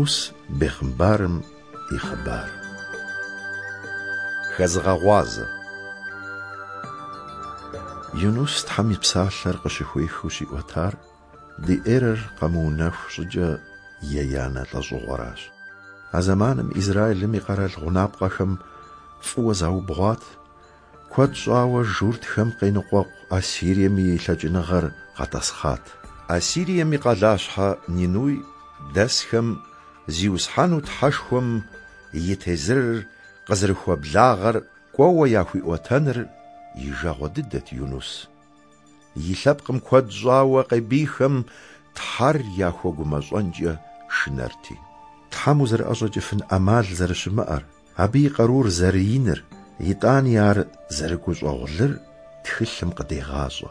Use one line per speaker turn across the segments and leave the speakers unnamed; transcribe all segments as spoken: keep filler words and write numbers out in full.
Юнус бегъымбарым и хъыбар. Хэзыгъэгъуазэ. Юнус Тхьэм и псалъэр къыщыхуехыу щиӏуэтар ди эрэр къэмыунэху щӏыкӏэ еянэ лӏэщӏыгъуэращ. А зэманым Израилым и къэрал гъунапкъэхэм фӏыуэ заубгъуат, куэд щӏауэ журтхэм къеныкъуэкъу Ассирием и лъэкӏыныгъэр къэтӏэсхъат. Ассирием и къалащхьэ Нинуй дэсхэм Зиусхьэну Тхьэшхуэм и тезырыр къызэрыхуэблагъэр кӏуэуэ яхуиӏуэтэныр и жагъуэ дыдэт Юнус. И лъэпкъым куэд щӏауэ къебийхэм Тхьэр яхуэгумэщӏэнкӏэ шынэрти. Тхьэм узэрыӏэщӏэкӏыфын ӏэмал зэрыщымыӏэр, абы и къарур зэрыиныр, итӏани ар зэрыгущӏэгъулыр тхылъым къыдегъащӏэ.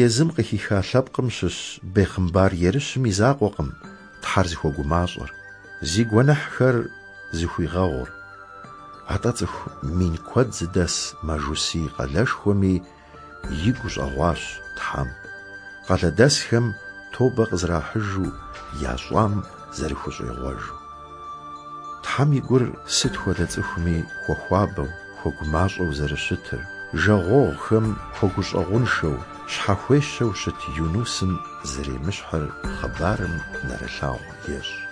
Езым къыхиха лъэпкъым щыщ бегъымбар ерыщым и закъуэкъым Тхьэр зыхуэгумащӏэр, зи гуэныхьхэр зыхуигъэгъур. Атӏэ цӏыху мин куэд зыдэс мажусий къалэшхуэми игу щӏэгъуащ Тхьэм, къалэдэсхэм тобэ къызэрахьыжу ящӏам зэрыхущӏегъуэжу. Тхьэм и гур сыт хуэдэ цӏыхуми хуэхуабэу, хуэгумащӏэу зэрыщытыр, жагъуэгъухэм хуэгущӏэгъуншэу, щхьэхуещэу щыт Юнусым зэремыщхьыр хъыбарым нэрылъагъу ещӏ.